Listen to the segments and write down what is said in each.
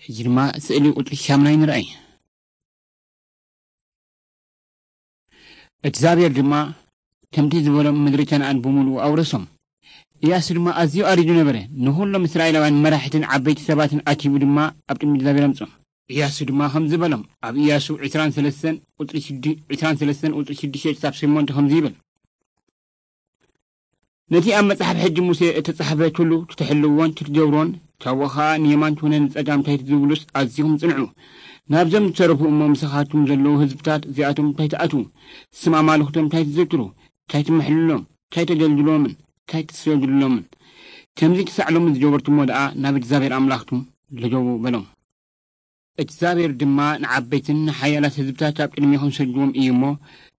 ሕጂ ድማ ስእሊ ቁጽሪ ሻምናይ ንርኣይ። እግዚኣብሔር ድማ ከምቲ ዝበሎም ምድሪ ከነኣን ብምሉኡ ኣውረሶም። ኢያሱ ድማ ኣዝዩ ኣሪዱ ነበረ። ንኹሎም እስራኤላውያን መራሕትን ዓበይቲ ሰባትን ኣኪቡ ድማ ኣብ ቅድሚ እግዚኣብሔር ኣምጾም። ኢያሱ ድማ ከምዚ በሎም፣ ኣብ ኢያሱ ዕስራን ሰለስተን ቁጽሪ ሽዱ- ዕስራን ሰለስተን ቁጽሪ ሽዱሽተ ክሳብ ሸሞንተ ከምዚ ይብል። ነቲ ኣብ መጽሓፍ ሕጂ ሙሴ እተጻሕፈ ኩሉ ክትሕልዎን ክትገብሮን፣ ካብኡ ኸኣ ንየማን ትኹነ ንጸጋም እንታይ ትዝብሉስ ኣዚኹም ጽንዑ። ናብዞም ዝተረፉ እሞ ምሳኻትኩም ዘለዉ ህዝብታት እዚኣቶም እንታይ ትኣትዉ፣ ስም ኣማልኽቶም እንታይ ትዝክሩ፣ እንታይ ትምሕልሎም፣ እንታይ ተገልግሎምን እንታይ ትሰግድሎምን። ከምዚ ክሳዕ ሎሚ ዝገበርኩሞ ደኣ ናብ እግዚኣብሔር ኣምላኽኩም ልገቡ በሎም። እግዚኣብሔር ድማ ንዓበይትን ንሓያላት ህዝብታት ኣብ ቅድሜኹም ሰድዎም እዩ እሞ፣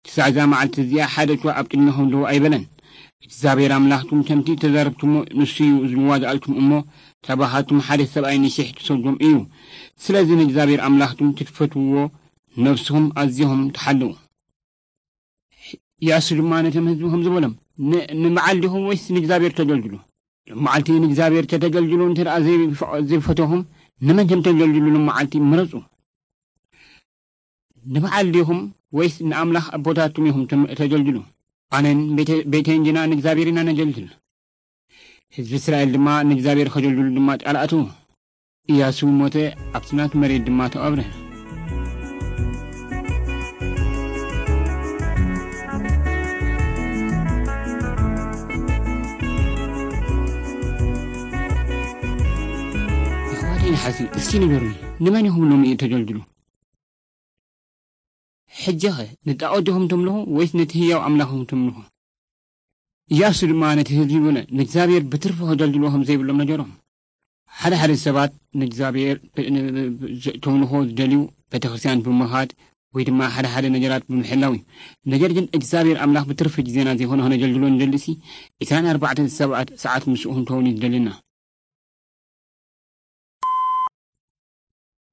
ክሳዕ እዛ መዓልቲ እዚኣ ሓደ እኳ ኣብ ቅድሜኹም ደው ኣይበለን። እግዚኣብሔር ኣምላኽኩም ከምቲ ተዛረብኩሞ ንሱ እዩ ዝዋጋኣልኩም እሞ፣ ካባኻትኩም ሓደ ሰብኣይ ንሽሕ ትሰድዎም እዩ። ስለዚ ንእግዚኣብሔር ኣምላኽኩም ክትፈትውዎ ነብስኹም ኣዚኹም ተሓልዉ። ኢያሱ ድማ ነቶም ህዝቢ ከምዚ በሎም፣ ን- ንበዓል ዲኹም ወይስ ንእግዚኣብሔር ተገልግሉ? ሎም መዓልቲ ንእግዚኣብሔር ከተገልግሉ እንተ ደኣ ዘይፈ- ዘይፈተኹም፣ ንመን ከም ተገልግሉ ሎም መዓልቲ ምረጹ። ንበዓል ዲኹም ወይስ ንኣምላኽ ኣቦታትኩም ኢኹም ተም- ተገልግሉ? ኣነን ቤተ- ቤተይን ግና ንእግዚኣብሔር ኢና ነገልግል። ህዝቢ እስራኤል ድማ ንእግዚኣብሔር ከገልግሉ ድማ ቃል ኣተዉ። ኢያሱ ሞተ፣ ኣብቲ ናቱ መሬት ድማ ተቐብረ። ኣሕዋተይ ንሓሲ እስኪ ንገሩኒ፣ ንመን ኢኹም ሎሚ እዩ ተገልግሉ? ሕጂኸ ንጣዖት ዲኹም ተምልኹ ወይስ ነቲ ህያው ኣምላኽ ኢኹም ተምልኹ? ኢያሱ ድማ ነቲ ህዝቢ በለ፣ ንእግዚኣብሔር ብትርፊ ከገልግልዎ ከም ዘይብሎም ነገሮም። ሓደ ሓደ ሰባት ንእግዚኣብሔር ብ- ን- ብ- ዝ- ተምልኾ ዝደልዩ ቤተክርስትያን ብምኻድ ወይ ድማ ሓደ ሓደ ነገራት ብምሕላው እዩ። ነገር ግን እግዚኣብሔር ኣምላኽ ብትርፊ ግዜና ዘይኮነ ከነገልግሎ ንደልሲ ዕስራን ኣርባዕተን ሰባት ሰዓት ምስኡ ክንከውን እዩ ዝደልና።